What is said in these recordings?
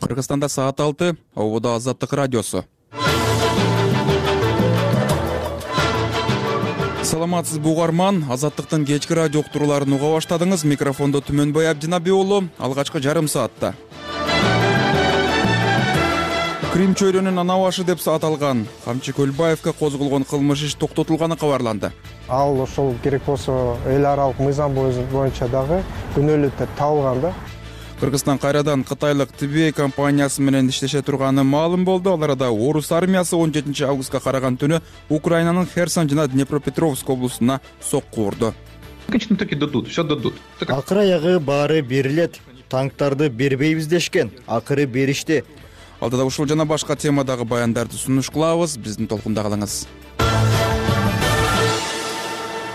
Кыргызстанда саат 6, ободо Азаттык радиосу. Саламатсызбы угарман, Азаттыктын кечки радио уктурууларын уга баштадыңыз. Микрофондо Түмөнбай Абдинаби уулу, алгачкы жарым саатта. Крим чөйрөнүн ана башы деп аталган Камчы Көлбаевге козголгон кылмыш иш токтотулганы кабарланды. Ал ошол керек болсо эл аралык мыйзам боюнча дагы күнөөлүү табылган да. Кыргызстан кайрадан Кытайлык TBA компаниясы менен иштеше турганы маалым болду. Ал арада орус армиясы 17 августка караган түнү Украинанын Херсон жана Днепропетровск облусуна сокку урду. Таки дадут, все дадут. Акыры аягы баары берилет. Танктарды бербейбиз дешкен, акыры беришти. Алдыда ушул жана башка темадагы баяндарды сунуш кылабыз. Биздин толкунда калыңыз.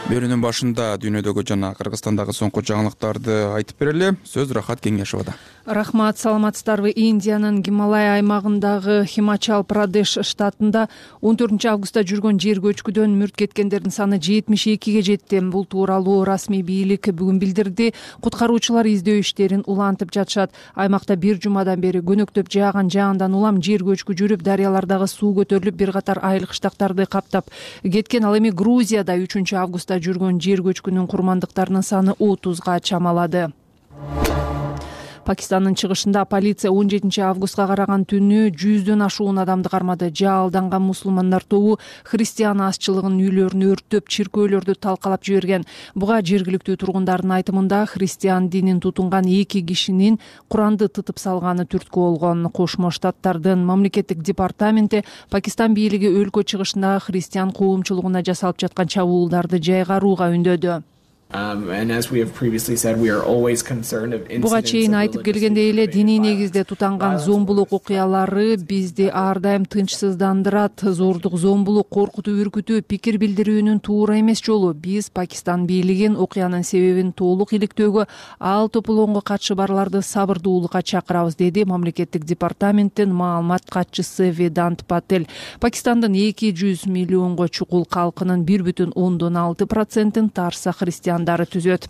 Берүүнүн башында дүйнөдөгү жана Кыргызстандагы соңку жаңылыктарды айтып берели. Сөз Рахат Кеңешовада. Рахмат, саламатсыздарбы. Индиянын Гималай аймагындагы Химачал Прадеш штатында 14 августта жүргөн жер көчкүдөн мүрт кеткендердин саны 72ге жетти. Бул тууралуу расмий бийлик бүгүн билдирди. Куткаруучулар издөө иштерин улантып жатышат. Аймакта бир жумадан бери көнөктөп жааган жаандан улам жер көчкү жүрүп, дарыялардагы суу көтөрүлүп, бир катар айыл кыштактарды каптап кеткен. Ал эми Грузияда 3 августта жүргөн жер көчкүнүн курмандыктарынын саны 30га чамалады. Пакистандын чыгышында полиция 17 августка караган түнү 100дөн ашуун адамды кармады. Жаалданган мусулмандар тобу христиан азчылыгынын үйлөрүн өрттөп, чиркөөлөрдү талкалап жиберген. Буга жергиликтүү тургундардын айтымында христиан динин тутунган 2 кишинин Куранды тытып салганы түрткү болгон. Кошмо Штаттардын мамлекеттик департаменти Пакистан бийлиги өлкө чыгышындагы христиан коомчулугуна жасалып жаткан чабуулдарды жайгарууга үндөдү. Буга чейин айтып келгендей эле, диний негизде тутанган зомбулук окуялары бизди ар дайым тынчсыздандырат. Зордук, зомбулук, коркутуу, үркүтүү пикир билдирүүнүн туура эмес жолу. Биз Пакистан бийлигин окуянын себебин толук иликтөөгө, ал тополоңго катышы барларды сабырдуулукка чакырабыз, деди мамлекеттик департаменттин маалымат катчысы Ведант Патель. Пакистандын 200 миллионго чукул калкынын 1,6% тарса христиан түзөт.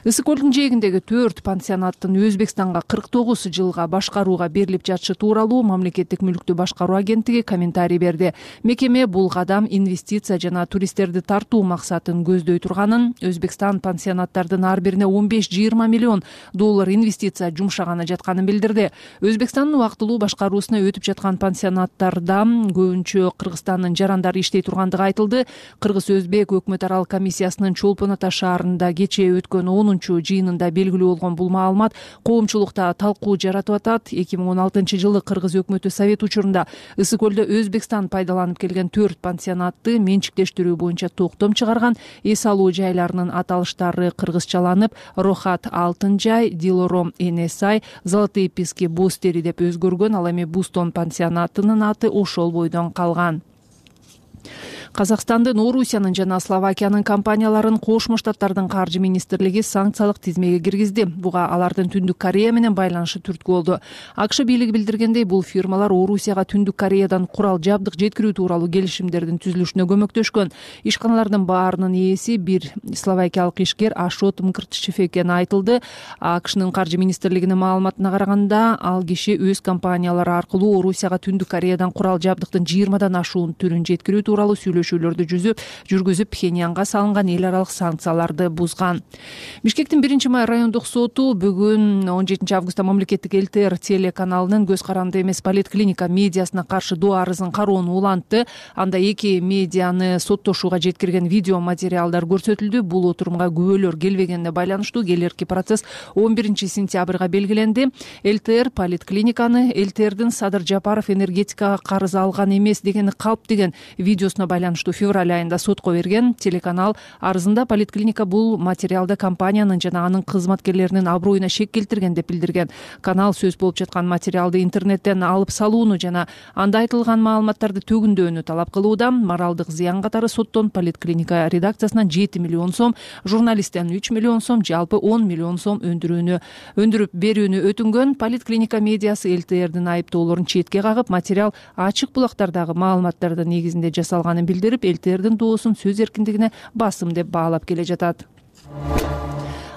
Ысык көлдүн жээгиндеги 4 пансионаттын Өзбекстанга 49 жылга башкарууга берилип жатышы тууралуу мамлекеттик мүлктү башкаруу агенттиги комментарий берди. Мекеме бул кадам инвестиция жана туристтерди тартуу максатын көздөй турганын, Өзбекстан пансионаттардын ар бирине 15-20 миллион доллар инвестиция жумшаганы жатканын билдирди. Өзбекстандын убактылуу башкаруусуна өтүп жаткан пансионаттарда көбүнчө Кыргызстандын жарандары иштей тургандыгы айтылды. Кыргыз-Өзбек өкмөт аралык комиссиясынын Чолпон Ата шаарында кечээ өткөн 10-жыйынында белгилүү болгон бул маалымат коомчулукта талкуу жаратып атат. 2016 жылы Кыргыз өкмөтү совет учурунда Ысык көлдө Өзбекстан пайдаланып келген 4 пансионатты менчиктештирүү боюнча токтом чыгарган. Эс алуу жайларынын аталыштары кыргызчаланып, Рохат Алтын жай, Дилором Энесай, Золотые пески Бостери деп өзгөргөн. Ал эми Бустон пансионатынын аты ошол бойдон калган. Казакстандын, Орусиянын жана Словакиянын компанияларын Кошмо Штаттардын каржы министрлиги санкциялык тизмеге киргизди. Буга алардын Түндүк Корея менен байланышы түрткү болду. АКШ бийлиги билдиргендей, бул фирмалар Орусияга Түндүк Кореядан курал жабдык жеткирүү тууралуу келишимдердин түзүлүшүнө көмөктөшкөн. Ишканалардын баарынын ээси бир словакиялык ишкер Ашот Мкртчев экени айтылды. АКШнын каржы министрлигинин маалыматына караганда, ал киши өз компаниялары аркылуу Орусияга Түндүк Кореядан курал жабдыктын 20дан ашуун түрүн жеткирүү тууралуу сүйлөшүүлөрдү жүргүзүп, Пхеньянга салынган эл аралык санкцияларды бузган. Бишкектин 1-май райондук соту бүгүн 17 августта мамлекеттик ЛТР телеканалынын көз каранды эмес поликлиника медиасына каршы доо арызын кароону улантты. Анда 2 медианы соттошууга жеткирген видео материалдар көрсөтүлдү. Бул отурумга күбөлөр келбегенине байланыштуу келерки процесс 11 сентябрга белгиленди. ЛТР поликлиниканы ЛТРдин Садыр Жапаров энергетикага карыз алган эмес дегени калп деген видеосуна байланыштуу февраль айында сотко берген. Телеканал арызында поликлиника бул материалда компаниянын жана анын кызматкерлеринин аброюна шек келтирген деп билдирген. Канал сөз болуп жаткан материалды интернеттен алып салууну жана анда айтылган маалыматтарды төгүндөөнү талап кылууда. Моралдык зыян катары соттон поликлиника редакциясынан 7 миллион сом, журналисттен 3 миллион сом, жалпы 10 миллион сом өндүрүп берүүнү өтүнгөн. Поликлиника медиасы ЛТРдин айыптоолорун четке кагып, материал ачык булактардагы маалыматтардын негизинде жасалганын билдирип, ЛТРдин доосун сөз эркиндигине басым деп баалап келе жатат.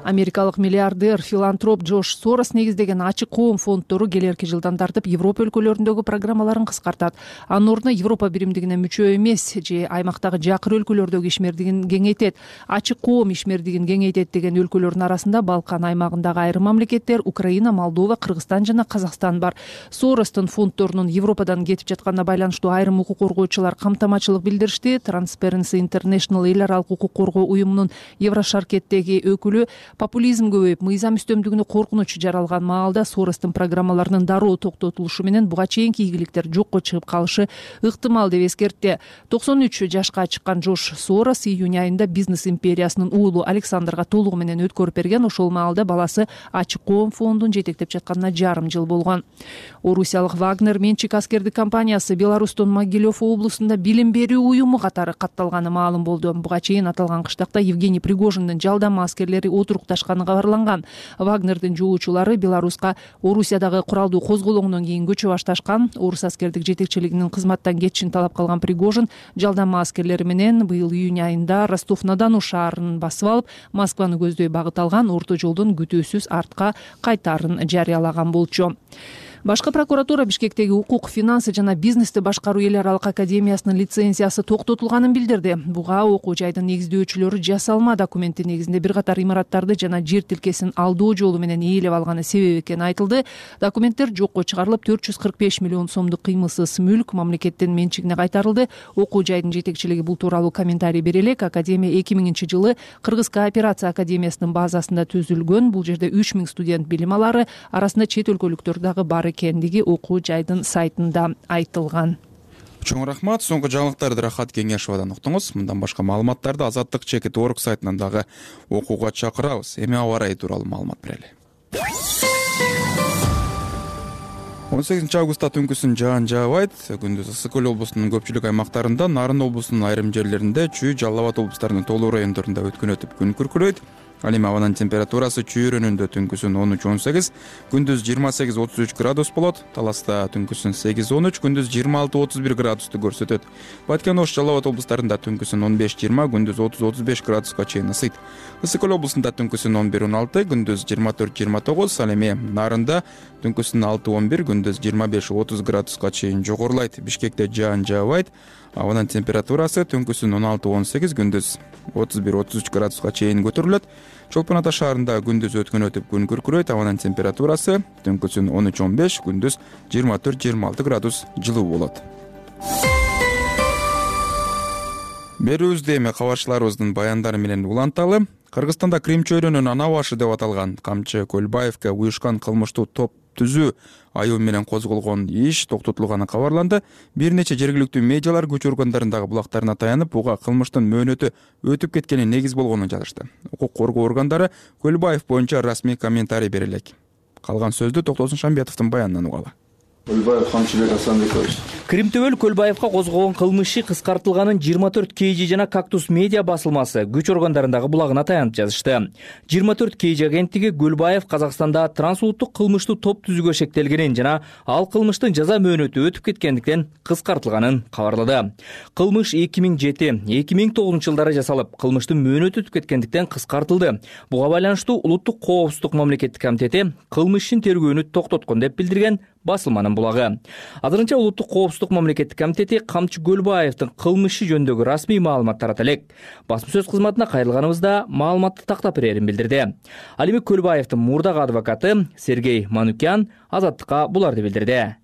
Америкалык миллиардер филантроп Джош Сорос негиздеген ачык коом фонддору келерки жылдан тартып Европа өлкөлөрүндөгү программаларын кыскартат. Анын ордуна Европа биримдигине мүчө эмес же аймактагы жакыр өлкөлөрдөгү ишмердигин кеңейтет. Ачык коом ишмердигин кеңейтет деген өлкөлөрдүн арасында Балкан аймагындагы айрым мамлекеттер Украина, Молдова, Кыргызстан жана Казакстан бар. Соростун фонддорунун Европадан кетип жатканына байланыштуу айрым укук коргоочулар камтамачылык билдиришти. Transparency International эл аралык укук коргоо уюмунун Еврошаркеттеги өкүлү популизм көбөйүп, мыйзам үстөмдүгүнө коркунуч жаралган маалда Соростун программаларынын дароо токтотулушу менен буга чейинки ийгиликтер жокко чыгып калышы ыктымал деп эскертти. 93 жашка чыккан Джош Сорос июнь айында бизнес империясынын уулу Александрга толугу менен өткөрүп берген. Ошол маалда баласы ачык коом фондун жетектеп жатканына жарым жыл болгон. Орусиялык Вагнер менчик аскердик компаниясы Беларустун Могилев облусунда билим берүү уюму катары катталганы маалым болду. Буга чейин аталган кыштакта Евгений Пригожиндин жалдама аскерлери отурукташканы кабарланган. Вагнердин жоочулары Беларуска Орусиядагы куралдуу козголоңдон кийин көчө башташкан. Орус аскердик жетекчилигинин кызматтан кетишин талап кылган Пригожин жалдама аскерлери менен быйыл июнь айында Ростов-на-Дону шаарын басып алып, Москваны көздөй багыт алган, орто жолдон күтүүсүз артка кайтаарын жарыялаган болчу. Башкы прокуратура Бишкектеги укук, финансы жана бизнести башкаруу эл аралык академиясынын лицензиясы токтотулганын билдирди. Буга окуу жайдын негиздөөчүлөрү жасалма документи негизинде бир катар имараттарды жана жер тилкесин алдоо жолу менен ээлеп алганы себеп экени айтылды. Документтер жокко чыгарылып, 445 миллион сомдук кыймылсыз мүлк мамлекеттин менчигине кайтарылды. Окуу жайдын жетекчилиги бул тууралуу комментарий бере элек. Академия 2000-жылы Кыргыз кооперация академиясынын базасында түзүлгөн. Бул жерде 3000 студент билим алары, арасында чет өлкөлүктөр дагы бар экендиги окуу жайдын сайтында айтылган. Чоң рахмат. Соңку жаңылыктарды Рахат Кеңешовадан уктуңуз. Мындан башка маалыматтарды Азаттык Чекит.org сайтынан дагы окууга чакырабыз. Эми аба ырайы тууралуу маалымат берели. 18 августта түнкүсүн жаан жаабайт. Күндүз Ысык Көл облусунун көпчүлүк аймактарында, Нарын облусунун айрым жерлеринде, Чүй, Жалал Абад облустарынын толуу райондорунда өткөн өтүп күн күркүрөйт. Ал эми абанын температурасы Чүй районунда түнкүсүн 13-18, күндүз 28-33 градус болот. Таласта түнкүсүн 8-13, күндүз 26-31 градусту көрсөтөт. Баткен, Ош, Жалал Абад облустарында түнкүсүн 15-20, күндүз 30-35 градуска чейин ысыйт. Ысык Көл облусунда түнкүсүн 11-16, күндүз 24-29, ал эми Нарында түнкүсүн 6-11, күндүз 25-30 градуска чейин жогорулайт. Бишкекте жаан жаабайт. Абанын температурасы түнкүсүн 16-18, күндүз 31-33 градуска чейин көтөрүлөт. Чолпон Ата шаарында күндүз өткөн өтүп күн күркүрөйт. Абанын температурасы түнкүсүн 13-15, күндүз 24-26 градус жылуу болот. Берүүбүздү эми кабарчыларыбыздын баяндары менен уланталы. Кыргызстанда Крим чөйрөнүн ана башы деп аталган Камчы Көлбаевке уюшкан кылмыштуу топ түзүү айыл менен козголгон иш токтотулганы кабарланды. Бир нече жергиликтүү медиалар көчө органдарындагы булактарына таянып, буга кылмыштын мөөнөтү өтүп кеткени негиз болгонун жазышты. Укук коргоо органдары Көлбаев боюнча расмий комментарий бере элек. Калган сөздү Токтосун Шамбетовдун баянынан угалы. Көлбаев Камчыбек Асанбекович. Кримтөбөл Көлбаевка козголгон кылмыш иши кыскартылганын 24 KG жана Кактус медиа басылмасы күч органдарындагы булагына таянып жазышты. 24 KG агенттиги Көлбаев Казакстанда трансулуттук кылмыштуу топ түзүүгө шектелгенин жана ал кылмыштын жаза мөөнөтү өтүп кеткендиктен кыскартылганын кабарлады. Кылмыш 2007-2009 жылдары жасалып, кылмыштын мөөнөтү өтүп кеткендиктен кыскартылды. Буга байланыштуу Улуттук коопсуздук мамлекеттик комитети кылмыш ишин тергөөнү токтоткон деп билдирген басылманын булагы. Азырынча Улуттук коопсуздук мамлекеттик комитети Камчы Көлбаевдин кылмышы жөнүндөгү расмий маалымат тарата элек. Басма сөз кызматына кайрылганыбызда маалыматты тактап берерин билдирди. Ал эми Көлбаевдин мурдагы адвокаты Сергей Манукян Азаттыкка буларды билдирди.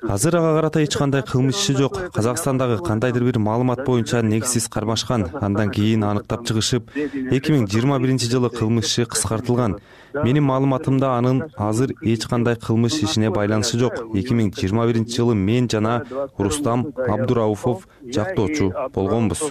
Азыр ага карата эч кандай кылмыш иши жок. Казакстандагы кандайдыр бир маалымат боюнча негизсиз кармашкан. Андан кийин аныктап чыгышып, 2021-жылы кылмыш иши кыскартылган. Менин маалыматымда анын азыр эч кандай кылмыш ишине байланышы жок. 2021-жылы мен жана Рустам Абдурауфов жактоочу болгонбуз.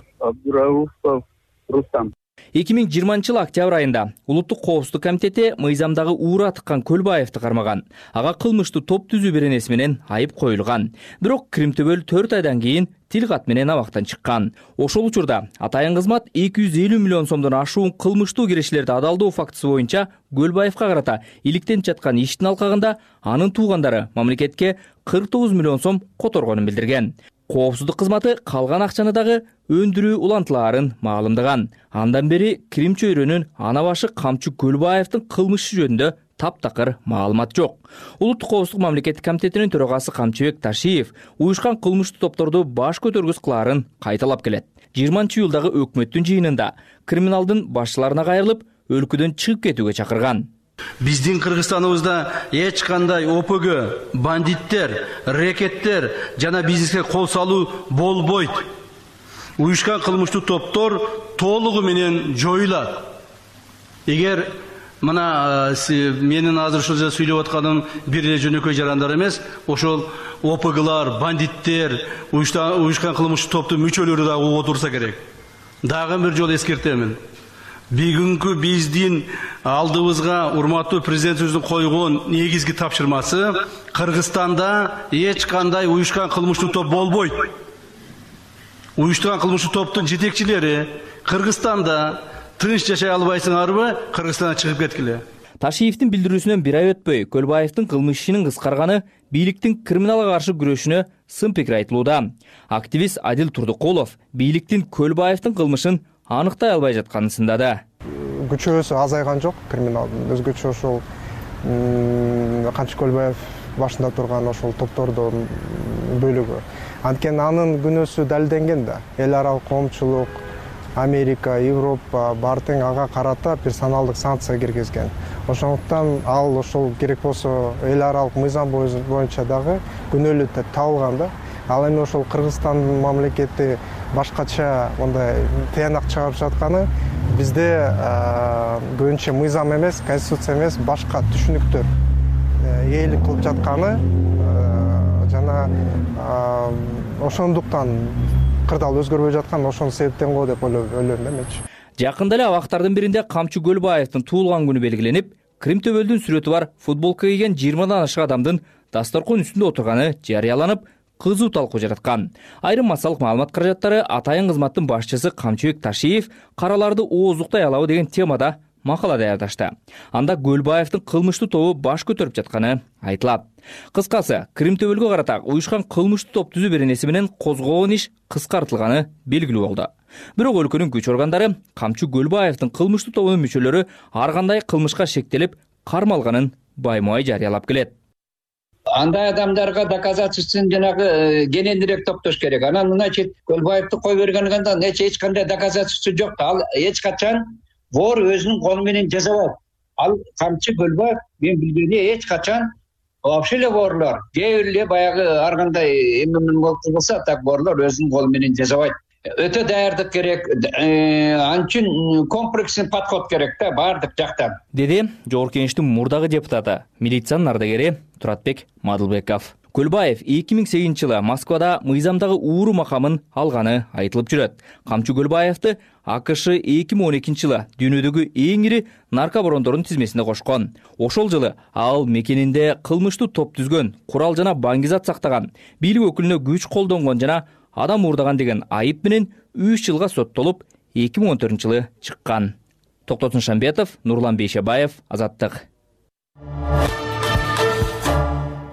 2020-жылы октябрь айында Улуттук коопсуздук комитети мыйзамдагы уура тыккан Көлбаевди кармаган. Ага кылмыштуу топ түзүү беренеси менен айып коюлган. Бирок Кримтөбөл 4 айдан кийин тил кат менен абактан чыккан. Ошол учурда атайын кызмат 250 миллион сомдон ашуун кылмыштуу кирешилерди адалдоо фактысы боюнча Көлбаевка карата иликтенип жаткан иштин алкагында анын туугандары мамлекетке 49 миллион сом которгонун билдирген. Коопсуздук кызматы калган акчаны дагы өндүрүү улантылаарын маалымдаган. Андан бери Крим чөйрөнүн ана башы Камчы Көлбаевдин кылмышы жөнүндө таптакыр маалымат жок. Улуттук коопсуздук мамлекеттик комитетинин төрагасы Камчыбек Ташиев уюшкан кылмыштуу топторду баш көтөргүс кылаарын кайталап келет. 20-июлдагы өкмөттүн жыйынында криминалдын башчыларына кайрылып, өлкөдөн чыгып кетүүгө чакырган. Биздин Кыргызстаныбызда эч кандай ОПГ, бандиттер, рекеттер жана бизнеске кол салуу болбойт. Уюшкан кылмыштуу топтор толугу менен жоюлат. Эгер мына менин азыр ушул жерде сүйлөп атканым бир эле жөнөкөй жарандар эмес, ошол ОПГлар, бандиттер, уюшкан кылмыштуу топтун мүчөлөрү дагы угуп отурса керек. Дагы бир жолу эскертемин. Бүгүнкү биздин алдыбызга урматтуу президентибиздин койгон негизги тапшырмасы Кыргызстанда эч кандай уюшкан кылмыштуу топ болбойт. Уюштурган кылмыштуу топтун жетекчилери Кыргызстанда тынч жашай албайсыңарбы, Кыргызстандан чыгып кеткиле. Ташиевдин билдирүүсүнөн бир ай өтпөй, Көлбаевдин кылмыш ишинин кыскарганы бийликтин криминалга каршы күрөшүнө сын пикир айтылууда. Активист Адил Турдукулов бийликтин Көлбаевдин кылмышын аныктай албай жатканын сындады. Күчөөсү азайган жок криминалдын. Өзгөчө ошол Камчы Көлбаев башында турган ошол топтордун бөлүгү. Анткени анын күнөөсү далилденген да. Эл аралык коомчулук, Америка, Европа баары тең ага карата персоналдык санкция киргизген. Ошондуктан ал ошол керек болсо эл аралык мыйзам боюнча дагы күнөөлүү деп табылган да. Ал эми ошол Кыргызстандын мамлекети башкача мындай тыянак чыгарып жатканы бизде көбүнчө мыйзам эмес, конституция эмес, башка түшүнүктөр ээлик кылып жатканы жана ошондуктан кырдаал өзгөрбөй жаткан ошонун себептен го деп ойлойм да менчи. Жакында эле абактардын биринде Камчы Көлбаевдин туулган күнү белгиленип, Крим төбөлдүн сүрөтү бар футболка кийген 20дан ашык адамдын дасторкон үстүндө отурганы жарыяланып, кызуу талкуу жараткан. Айрым массалык маалымат каражаттары атайын кызматтын башчысы Камчыбек Ташиев караларды ооздуктай алабы деген темада макала даярдашты. Анда Көлбаевдин кылмыштуу тобу баш көтөрүп жатканы айтылат. Кыскасы, Крим төбөлгө карата уюшкан кылмыштуу топ түзүү беренеси менен козголгон иш кыскартылганы белгилүү болду. Бирок өлкөнүн күч органдары Камчы Көлбаевдин кылмыштуу тобунун мүчөлөрү ар кандай кылмышка шектелип кармалганын баймай жарыялап келет. Андай адамдарга доказательствосын жанагы кененирээк топтош керек. Анан значит Көлбаевди кой бергенден эч кандай доказательство жок. Ал эч качан вор өзүнүн колу менен жасабайт. Ал Камчы Көлбаев мен билгени эч качан вообще эле ворлор, кээ бир эле баягы ар кандай эмне болсо так ворлор өзүнүн колу менен жасабайт. Өтө даярдык керек, анчын комплексный подход керек да баардык жактан. Деди Жогорку Кеңештин мурдагы депутаты, милициянын ардагери Туратбек Мадылбеков. Көлбаев 2008-жылы Москвада мыйзамдагы ууру макамын алганы айтылып жүрөт. Камчы Көлбаевди АКШ 2012-жылы дүйнөдөгү эң ири наркобарондордун тизмесине кошкон. Ошол жылы ал мекенинде кылмыштуу топ түзгөн, курал жана баңгизат сактаган, бийлик өкүлүнө күч колдонгон жана адам уурдаган деген айып менен 3 жылга соттолуп, 2014-жылы чыккан. Токтотун Шамбетов, Нурлан Бейшебаев, Азаттык.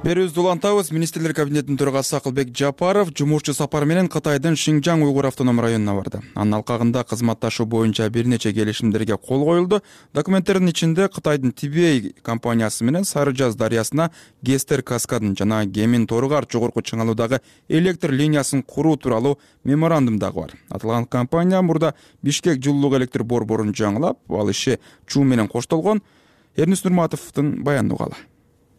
Берүүбүздү улантабыз. Министрлер кабинетинин төрагасы Акылбек Жапаров жумушчу сапар менен Кытайдын Шинжаң уйгур автоном районуна барды. Анын алкагында кызматташуу боюнча бир нече келишимдерге кол коюлду. Документтердин ичинде Кытайдын Тибей компаниясы менен Сары Жаз дарыясына Гестер каскадын жана Гемин Торгар жогорку чыңалуудагы электр линиясын куруу тууралуу меморандум дагы бар. Аталган компания мурда Бишкек жылуулук электр борборун жаңылап, ал иши чуу менен коштолгон. Эрнис Нурматовдун баянын угалы.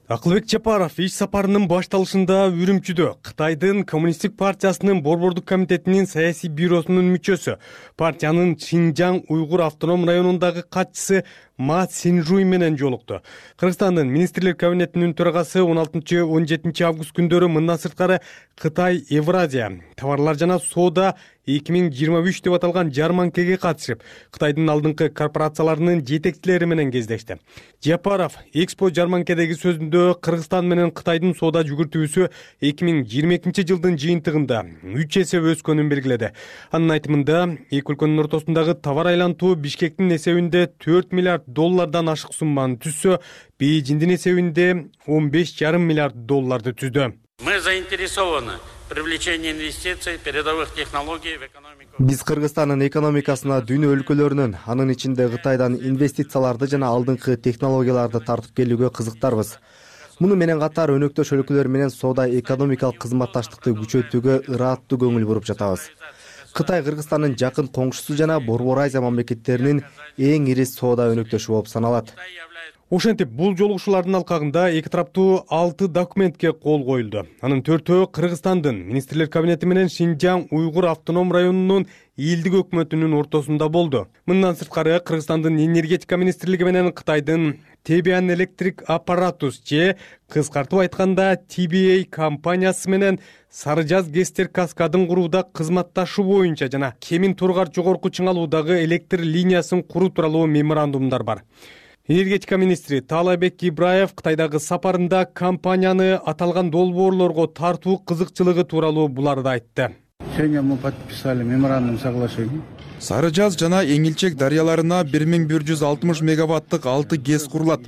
Акылбек Жапаров иш сапарынын башталышында Үрүмчүдө Кытайдын Коммунисттик партиясынын борбордук комитетинин саясий бюросунун мүчөсү, партиянын Шинжаң уйгур автоном районундагы катчысы Ма Синжуй менен жолукту. Кыргызстандын министрлер кабинетинин төрагасы 16-17 август күндөрү мындан сырткары Кытай Евразия товарлар жана соода 2023 деп аталган жарманкеге катышып, Кытайдын алдыңкы корпорацияларынын жетекчилери менен кездешти. Жапаров Экспо жарманкедеги сөзүндө Кыргызстан менен Кытайдын соода жүгүртүүсү 2022 жылдын жыйынтыгында 3 эсе өскөнүн белгиледи. Анын айтымында, эки өлкөнүн ортосундагы товар айлантуу Бишкектин эсебинде $4 миллиард ашык сумманы түзсө, Бейжиңдин эсебинде $15,5 миллиард түздү. Мы заинтересованы привлечения инвестиций, передовых технологий в экономику. Биз Кыргызстандын экономикасына дүйнө өлкөлөрүнөн, анын ичинде Кытайдан инвестицияларды жана алдыңкы технологияларды тартып келүүгө кызыктарбыз. Муну менен катар өнөктөш өлкөлөр менен соода экономикалык кызматташтыкты күчөтүүгө ырааттуу көңүл буруп жатабыз. Кытай Кыргызстандын жакын коңшусу жана Борбор Азия мамлекеттеринин эң ири соода өнөктөшү болуп саналат. Ошентип, бул жолугушуулардын алкагында эки тараптуу 6 документке кол коюлду. Анын 4-өө Кыргызстандын Министрлер кабинети менен Шинжаң Уйгур автоном районунун элдик өкмөтүнүн ортосунда болду. Мындан сырткары Кыргызстандын энергетика министрлиги менен Кытайдын Tebian Electric Apparatus же кыскартып айтканда TBA компаниясы менен Сары Жаз ГЭСтер каскадын курууда кызматташуу боюнча жана Кемин Тургар жогорку чыңалуудагы электр линиясын куруу тууралуу меморандумдар бар. Энергетика министри Таалайбек Ибраев Кытайдагы сапарында компанияны аталган долбоорлорго тартуу кызыкчылыгы тууралуу буларды айтты. Сегодня мы подписали меморандум соглашения. Сары Жаз жана Эңилчек дарыяларына 1160 мегаваттык 6 ГЭС курулат.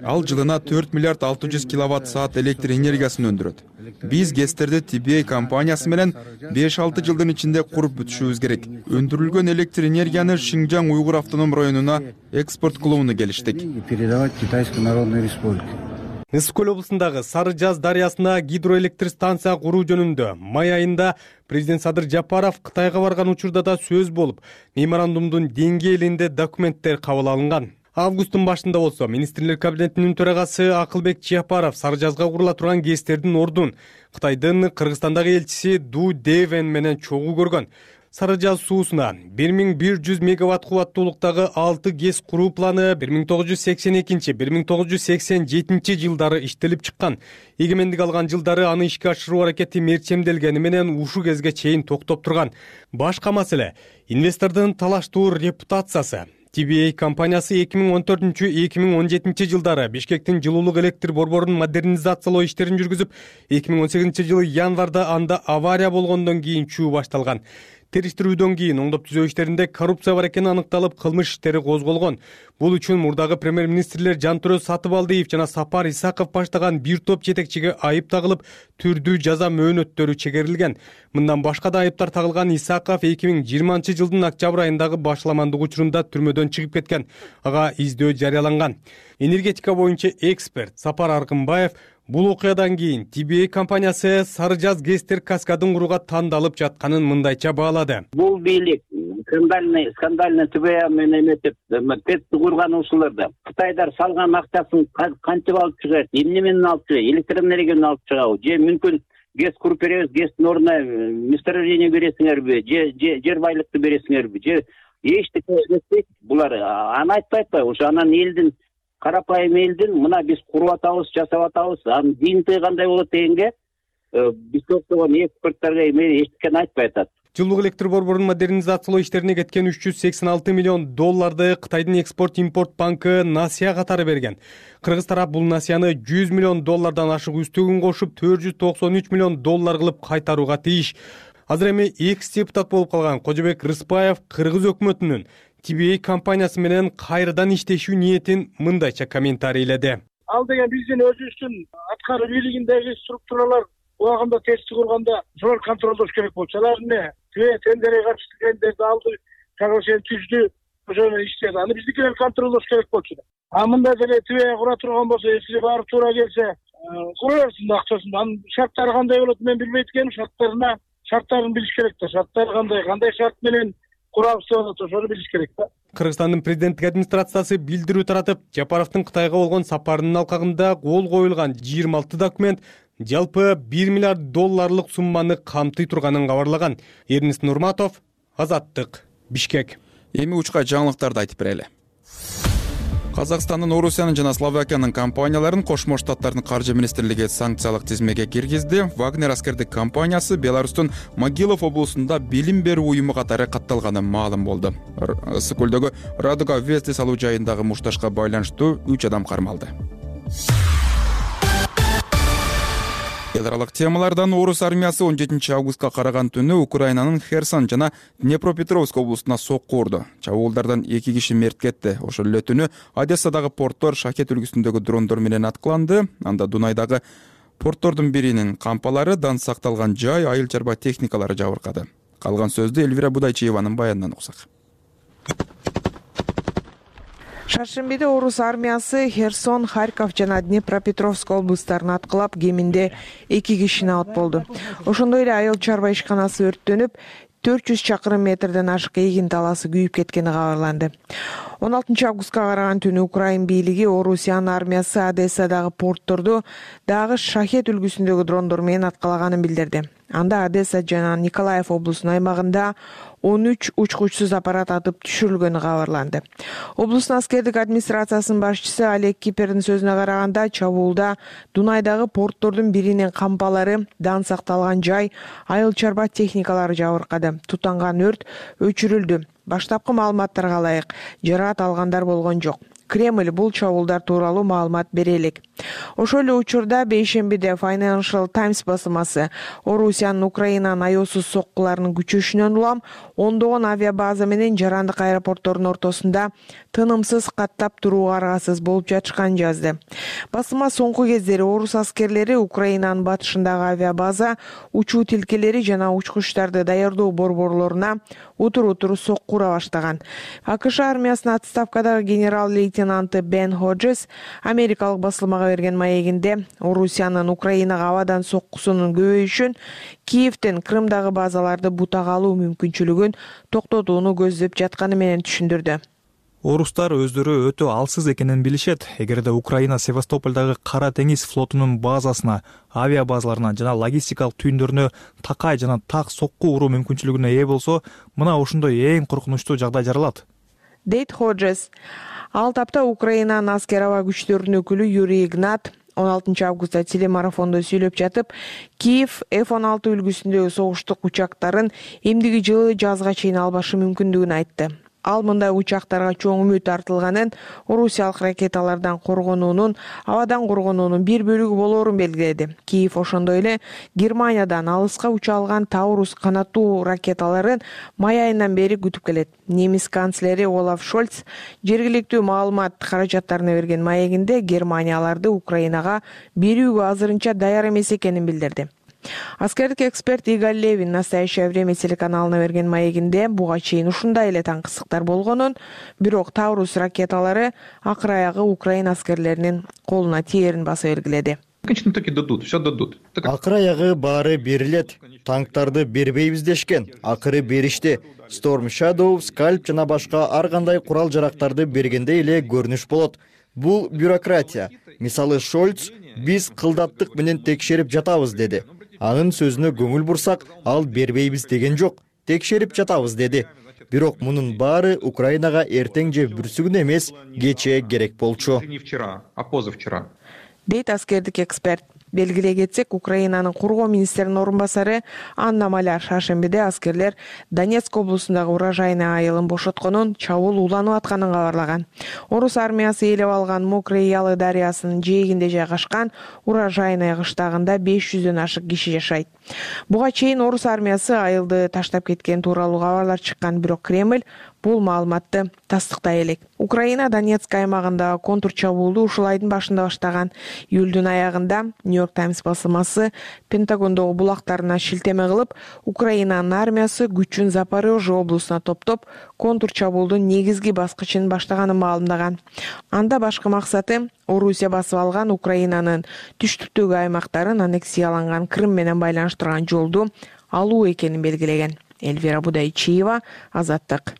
Ал жылына 4 миллиард 600 киловатт саат электр энергиясын өндүрөт. Биз ГЭСтерди TBA компаниясы менен 5-6 жылдын ичинде куруп бүтүшүбүз керек. Өндүрүлгөн электр энергияны Шинжаң Уйгур автоном районуна экспорт кылууну келиштик. Передавать Китайской Народной Республике. Ысык көл облусундагы Сары Жаз дарыясына гидроэлектр станция куруу жөнүндө май айында президент Садыр Жапаров Кытайга барган учурда да сөз болуп, меморандумдун деңгээлинде документтер кабыл алынган. Августтун башында болсо министрлер кабинетинин төрагасы Акылбек Жапаров Сары Жазга курула турган ГЭСтердин ордун Кытайдын Кыргызстандагы элчиси Ду Девен менен чогуу көргөн. Сары Жаз суусуна 1100 мегаватт кубаттуулуктагы 6 ГЭС куруу планы 1982-1987 жылдары иштелип чыккан. Эгемендик алган жылдары аны ишке ашыруу аракети мерчемделгени менен ушу кезге чейин токтоп турган. Башка маселе инвестордун талаштуу репутациясы. TBA компаниясы 2014-2017 жылдары Бишкектин жылуулук электр борборун модернизациялоо иштерин жүргүзүп, 2018 жылы январда анда авария болгондон кийин чуу башталган. Териштирүүдөн кийин оңдоп түзөө иштеринде коррупция бар экени аныкталып, кылмыш иштери козголгон. Бул үчүн мурдагы премьер-министрлер Жантөрө Сатыбалдиев жана Сапар Исаков баштаган бир топ жетекчиге айып тагылып, түрдүү жаза мөөнөттөрү чегерилген. Мындан башка да айыптар тагылган Исаков 2020 жылдын октябрь айындагы башламандык учурунда түрмөдөн чыгып кеткен. Ага издөө жарыяланган. Энергетика боюнча эксперт Сапар Аркынбаев бул окуядан кийин TBA компаниясы Сары Жаз ГЭСтер каскадын курууга тандалып жатканын мындайча баалады. Бул бийлик скандальный TBA менен эметип, ТЭЦти курган ушуларда Кытайдар салган акчасын кантип алып чыгат, эмне менен алып чыгат, электр энергияны алып чыгабы, же мүмкүн ГЭС куруп беребиз, ГЭСтин ордуна месторождение бересиңерби, жер байлыкты бересиңерби, же эчтеке эметпейт. Булар аны айтпайт атпайбы? Ошо анан элдин карапайым элдин мына биз куруп атабыз, жасап атабыз, анын дийинтиги кандай болот дегенге биз токтогон эксперттарга эчтекени айтпай атат. Жылуулук электр борборунун модернизациялоо иштерине кеткен 386 миллион долларды Кытайдын экспорт-импорт банкы насыя катары берген. Кыргыз тарап бул насыяны 100 миллион доллардан ашык үстөгүн кошуп 493 миллион доллар кылып кайтарууга тийиш. Азыр эми экс-депутат болуп калган Кожобек Рыспаев Кыргыз өкмөтүнүн TBA компаниясы менен кайрадан иштешүү ниетин мындайча комментарийледи. Ал деген биздин өзүбүздүн аткаруу бийлигиндеги структуралар убагында тести курганда ошолор контролдош керек болчу. Алар эмне тендерге каршы тендерди алды, соглашение түздү, ошону иштеди. Аны биздикилер контролдош керек болчу. А мындай деле TBA кура турган болсо, эсиге барып туура келсе, кура берсин акчасын. Анын шарттары кандай болот мен билбейт экенмин. Шарттарын билиш керек да. Шарттары кандай шарт менен курабыз деп атат, ошону билиш керек да. Кыргызстандын президенттик администрациясы билдирүү таратып, Жапаровдун Кытайга болгон сапарынын алкагында кол коюлган 26 документ жалпы 1 миллиард долларлык сумманы камтый турганын кабарлаган. Эрнест Нурматов, Азаттык, Бишкек. Эми учка жаңылыктарды айтып берели. Казакстандын, Орусиянын жана Словакиянын компанияларын Кошмо Штаттардын каржы министрлиги санкциялык тизмеге киргизди. Вагнер аскердик компаниясы Беларустун Могилов облусунда билим берүү уюму катары катталганы маалым болду. Ысык көлдөгү Радуга Вести салуу жайындагы мушташка байланыштуу 3 адам кармалды. Эл аралык темалардан Орус армиясы 17 августка караган түнү Украинанын Херсон жана Днепропетровск облусуна сокку урду. Чабуулдардан 2 киши мерт кетти. Ошол эле түнү Одессадагы порттор Шахет үлгүсүндөгү дрондор менен аткыланды. Анда Дунайдагы Порттордун биринин кампалары, дан сакталган жай, айыл чарба техникалары жабыркады. Калган сөздү Элвира Будайчиеванын баянынан уксак. Шаршембиде орус армиясы Херсон, Харьков жана Днепропетровск облустарын аткылап, кеминде 2 кишини алып болду. Ошондой эле айыл чарба ишканасы өрттөнүп, 400 чакырым метрден ашык эгин талаасы күйүп кеткени кабарланды. 16 августка караган түнү Украин бийлиги Орусиянын армиясы Одессадагы портторду дагы шахет үлгүсүндөгү дрондор менен аткалаганын билдирди. Анда Одесса жана Николаев облусунун аймагында 13 учкучсуз аппарат атып түшүрүлгөнү кабарланды. Облустун аскердик администрациясынын башчысы Олег Кипердин сөзүнө караганда, чабуулда Дунайдагы порттордун биринин кампалары, дан сакталган жай, айыл чарба техникалары жабыркады. Тутанган өрт өчүрүлдү. Баштапкы маалыматтарга ылайык, жараат алгандар болгон жок. Кремль бул чабуулдар тууралуу маалымат бере элек. Ошол эле учурда бейшембиде Financial Times басылмасы Орусиянын Украинанын аеосуз соккуларынын күчөшүнөн улам ондогон авиабаза менен жарандык аэропорттордун ортосунда тынымсыз каттап турууга аргасыз болуп жатышканын жазды. Басылма соңку кездери орус аскерлери Украинанын батышындагы авиабаза, учуу тилкелери жана учкучтарды даярдоо борборлоруна утур-утур соккура баштаган. АКШ армиясынын отставкадагы генерал-лейтенанты Бен Ходжес америкалык басылмага берген маегинде Орусиянын Украинага абадан соккусунун көбөйүшүн, Киевден Крымдагы базаларды бутага алуу мүмкүнчүлүгүн токтотууну көздөп жатканы менен түшүндүрдү. Орустар өздөрү өтө алсыз экенин билишет. Эгерде Украина Севастополдагы Кара деңиз флотунун базасына, авиабазаларына жана логистикалык түйүндөрүнө такай жана так сокку уруу мүмкүнчүлүгүнө ээ болсо, мына ошондой эң коркунучтуу жагдай жаралат, дейт Ходжес. Ал тапта Украинанын аскер аба күчтөрүнүн өкүлү Юрий Игнат 16 августта телемарафондо сүйлөп жатып, Киев F-16 үлгүсүндөгү согуштук учактарын эмдиги жылы жазга чейин албашы мүмкүндүгүн айтты. Ал мындай учактарга чоң үмүт артылганын, орусиялык ракеталардан коргонуунун, абадан коргонуунун бир бөлүгү болоорун белгиледи. Киев ошондой эле Германиядан алыска уча алган Таурус канаттуу ракеталарын май айынан бери күтүп келет. Немис канцлери Олаф Шольц жергиликтүү маалымат каражаттарына берген маегинде Германияларды Украинага берүүгө азырынча даяр эмес экенин билдирди. Аскердик эксперт Игорь Левин «Настоящее время» телеканалына берген маегинде буга чейин ушундай эле таңкысыктар болгонун, бирок Таурус ракеталары акыр аягы Украина аскерлеринин колуна тиерин баса белгиледи. Акыр аягы баары берилет. Танктарды бербейбиз дешкен, акыры беришти. Storm Shadow, Scalp жана башка ар кандай курал-жарактарды бергенде эле көрүнүш болот. Бул бюрократия. Мисалы Шольц биз кылдаттык менен текшерип жатабыз деди. Анын сөзүнө көңүл бурсак, ал бербейбиз деген жок, текшерип жатабыз деди. Бирок мунун баары Украинага эртең же бүрсүгүн эмес, кечээ керек болчу, дейт аскердик эксперт. Белгилей кетсек, Украинанын коргоо министринин орун басары Анна Маляр шаршембиде аскерлер Донецк облусундагы урожайный айылын бошотконун, чабуул уланып атканын кабарлаган. Орус армиясы ээлеп алган Мокрый Ялы дарыясынын жээгинде жайгашкан урожайный кыштагында 500дөн ашык киши жашайт. Буга чейин орус армиясы айылды таштап кеткен тууралуу кабарлар чыккан, бирок Кремль бул маалыматты тастыктай элек. Украина Донецк аймагында контур чабуулду ушул айдын башында баштаган. Июлдун аягында New York Times басылмасы Пентагондогу булактарына шилтеме кылып, Украинанын армиясы күчүн Запорожье облусуна топтоп, контур чабуулдун негизги баскычын баштаганын маалымдаган. Анда башкы максаты Орусия басып алган Украинанын түштүктөгү аймактарын аннексияланган Крым менен байланыштырган жолду алуу экенин белгилеген. Элвира Будайчиева, Азаттык.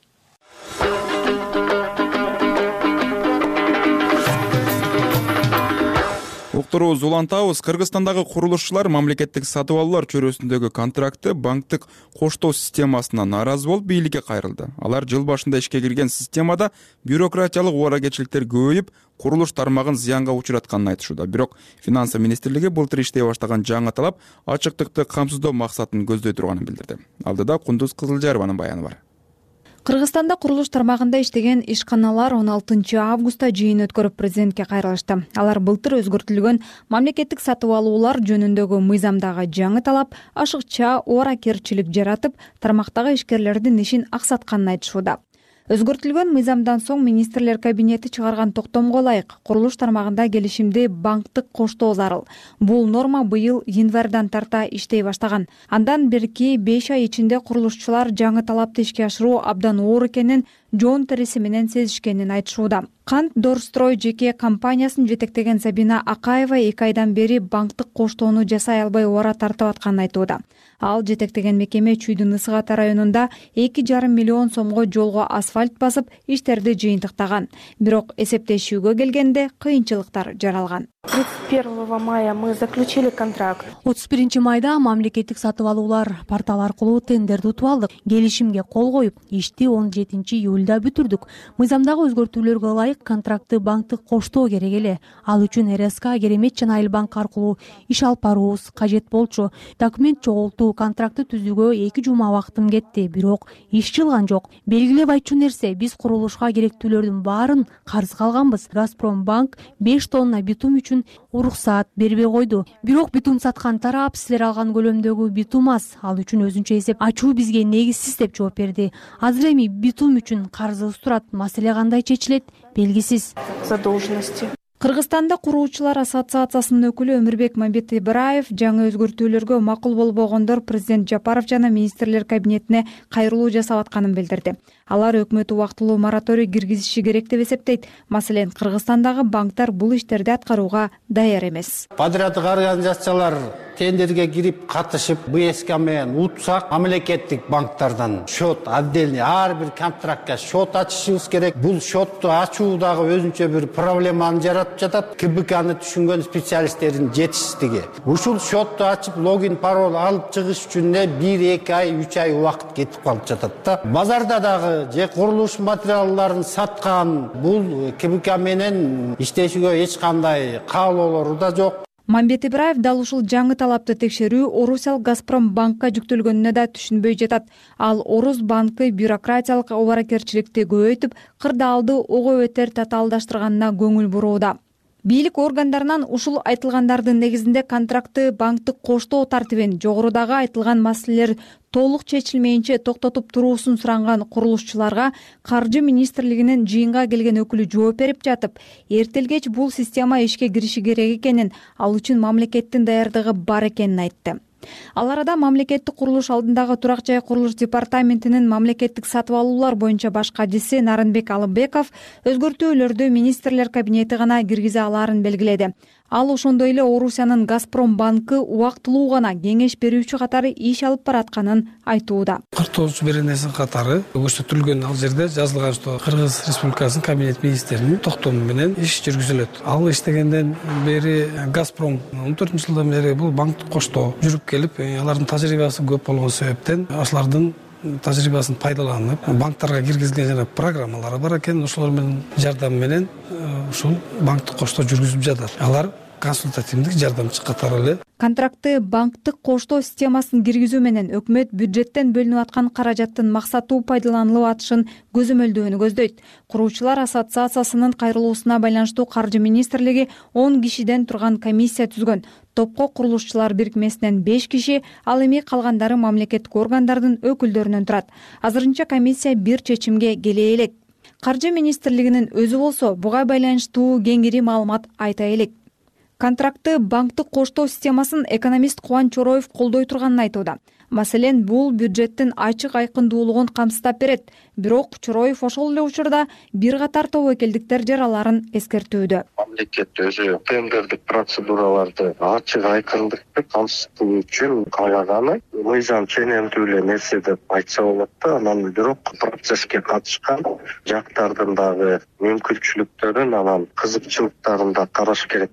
Уктурубуз улантабыз. Кыргызстандагы курулушчулар мамлекеттик сатып алуулар чөйрөсүндөгү контрактты банктык коштоо системасына нааразы болуп бийликке кайрылды. Алар жыл башында ишке кирген системада бюрократиялык убара-кечиликтер көбөйүп, курулуш тармагын зыянга учуратканын айтышууда. Бирок Финансы министрлиги былтыр иштей баштаган жаңы талап ачыктыкты камсыздоо максатын көздөй турганын билдирди. Алдыда Кундуз Кызылжарованын баяны бар. Кыргызстанда курулуш тармагында иштеген ишканалар 16 августта жыйын өткөрүп президентке кайрылышты. Алар былтыр өзгөртүлгөн мамлекеттик сатып алуулар жөнүндөгү мыйзамдагы жаңы талап ашыкча убара-керчилик жаратып, тармактагы ишкерлердин ишин аксатканын айтышууда. Өзгөртүлгөн мыйзамдан соң министрлер кабинети чыгарган токтомго ылайык курулуш тармагында келишимди банктык коштоо зарыл. Бул норма быйыл январдан тарта иштей баштаган. Андан берки 5 ай ичинде курулушчулар жаңы талапты ишке ашыруу абдан оор экенин жоон териси менен сезишкенин айтышууда. Кант Дорстрой жеке компаниясын жетектеген Сабина Акаева 2 айдан бери банктык коштоону жасай албай убара тартып атканын айтууда. Ал жетектеген мекеме Чүйдүн Ысык-Ата районунда 2,5 миллион сомго жолго асфальт басып, иштерди жыйынтыктаган. Бирок эсептешүүгө келгенде кыйынчылыктар жаралган. 31 мая мы заключили контракт. 31 майда мамлекеттик сатып алуулар порталы аркылуу тендерди утуп алдык. Келишимге кол коюп, ишти 17 июлда бүтүрдүк. Мыйзамдагы өзгөртүүлөргө ылайык контрактты банктык коштоо керек эле. Ал үчүн РСК, Керемет жана Айылбанк аркылуу иш алып баруубуз кажет болчу. Документ чогултуу, контрактты түзүүгө 2 жума убактым кетти, бирок иш жылган жок. Белгилеп айтчу нерсе, биз курулушка керектүүлөрдүн баарын карызга алганбыз. Газпромбанк 5 тонна битум үчүн уруксаат бербей койду. Бирок битум саткан тарап силер алган көлөмдөгү битум аз. Ал үчүн өзүнчө эсеп ачуу бизге негизсиз деп жооп берди. Азыр эми битум үчүн карызыбыз турат. Маселе кандай чечилет? Белгисиз. Задолженности. Кыргызстанда куруучулар ассоциациясынын өкүлү Өмүрбек Мамбетибраев жаңы өзгөртүүлөргө макул болбогондор президент Жапаров жана министрлер кабинетине кайрылуу жасап атканын билдирди. Алар өкмөт убактылуу мораторий киргизиши керек деп эсептейт. Маселен, Кыргызстандагы банктар бул иштерди аткарууга даяр эмес. Патриоттук организациялар тендерге кирип катышып, БСК менен утсак, мамлекеттик банктардан счет отдельный ар бир контрактка счет ачышыбыз керек. Бул счетту ачуу дагы өзүнчө бир проблеманы жаратып жатат. КБКны түшүнгөн специалисттердин жетишсиздиги. Ушул счетту ачып, логин, пароль алып чыгыш үчүн 1-2 ай, 3 ай убакыт кетип калып жатат да. Базарда дагы же курулуш материалдарын саткан бул КБК менен иштешүүгө эч кандай каалоолору да жок. Мамбетибраев дал ушул жаңы талапты текшерүү Орусал Газпромбанкка жүктөлгөнүнө да түшүнбөй жатат. Ал Орус банкы бюрократиялык обаракерчиликти көбөйтүп, кырдаалды ого өтер татаалдаштырганына көңүл бурууда. Бийлик органдарынан ушул айтылгандардын негизинде контрактты банктык коштоо тартибин жогорудагы айтылган маселелер толук чечилмейинче токтотуп туруусун суранган курулушчуларга Каржы министрлигинин жыйынга келген өкүлү жооп берип жатып, эртелгеч бул система ишке кириши керек экенин, ал үчүн мамлекеттин даярдыгы бар экенин айтты. Ал арада мамлекеттик курулуш алдындагы Турак жай курулуш департаментинин мамлекеттик сатып алуулар боюнча баш катчысы Нарынбек Алымбеков өзгөртүүлөрдү министрлер кабинети гана киргизе алаарын белгиледи. Ал ошондой эле Орусиянын Газпромбанкы убактылуу гана кеңеш берүүчү катары иш алып баратканын айтууда. Картоочу беренеси катары көрсөтүлгөн ал жерде жазылган, что Кыргыз Республикасынын кабинет министринин токтому менен иш жүргүзүлөт. Ал иштегенден бери Газпром 14-жылдан бери бул банктык коштоо жүрүп келип, алардын тажрыйбасы көп болгон себептен ошолордун тажрыйбасын пайдаланып, банктарга киргизилген жана программалары бар экен, ошолор менен жардам менен ушул банктык коштоо жүргүзүп жатат. Алар консультативдик жардамчы катары эле. Контрактты банктык коштоо системасын киргизүү менен өкмөт бюджеттен бөлүнүп аткан каражаттын максаттуу пайдаланылып атышын көзөмөлдөөнү көздөйт. Куруучулар ассоциациясынын кайрылуусуна байланыштуу Каржы министрлиги 10 кишиден турган комиссия түзгөн. Топко курулушчулар бирикмесинен 5 киши, ал эми калгандары мамлекеттик органдардын өкүлдөрүнөн турат. Азырынча комиссия бир чечимге келе элек. Каржы министрлигинин өзү болсо буга байланыштуу кеңири маалымат айта элек. Контрактты банктык коштоо системасын экономист Кубанч Чороев колдой турганын айтууда. Маселен, бул бюджеттин ачык айкындуулугун камсыздап берет. Бирок Чороев ошол эле учурда бир катар тобокелдиктер жараларын эскертүүдө. Мамлекет өзү тендердик процедураларды ачык айкындыкты камсыздоо үчүн каалаганы мыйзам ченемдүү эле нерсе деп айтса болот да. Анан бирок процесске катышкан жактардын дагы мүмкүнчүлүктөрүн, анан кызыкчылыктарын да караш керек.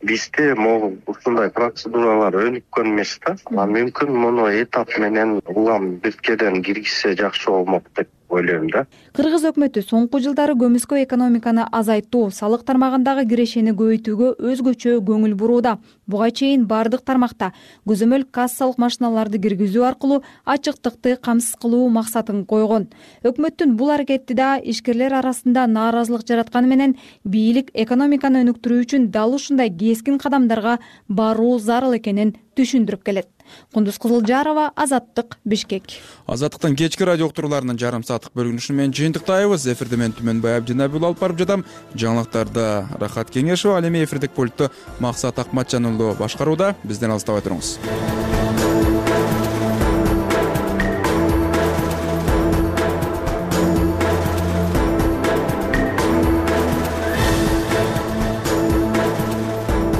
Бизде могул ушундай процедуралар өнүккөн эмес да. Мүмкүн муну этап менен улам биркеден киргизсе жакшы болмок деп ойлойм да. Кыргыз өкмөтү соңку жылдары көмүскө экономиканы азайтуу, салык тармагындагы кирешени көбөйтүүгө өзгөчө көңүл бурууда. Буга чейин бардык тармакта көзөмөл кассалык машиналарды киргизүү аркылуу ачыктыкты камсыз кылуу максатын койгон. Өкмөттүн бул аракети да ишкерлер арасында нааразылык жаратканы менен бийлик экономиканы өнүктүрүү үчүн дал ушундай кескин кадамдарга баруу зарыл экенин түшүндүрүп келет. Кундуз Кызылжарова, Азаттык, Бишкек. Азаттыктын кечки радио уктурууларынын жарым сааттык бөлүнүшү менен жыйынтыктайбыз. Эфирде мен Түмөнбай Абдинабил алып барып жатам. Жаңылыктарды Рахат Кеңешова, ал эми эфирдик пультту Максат Акматжан уулу башкарууда. Бизден алыстабай туруңуз.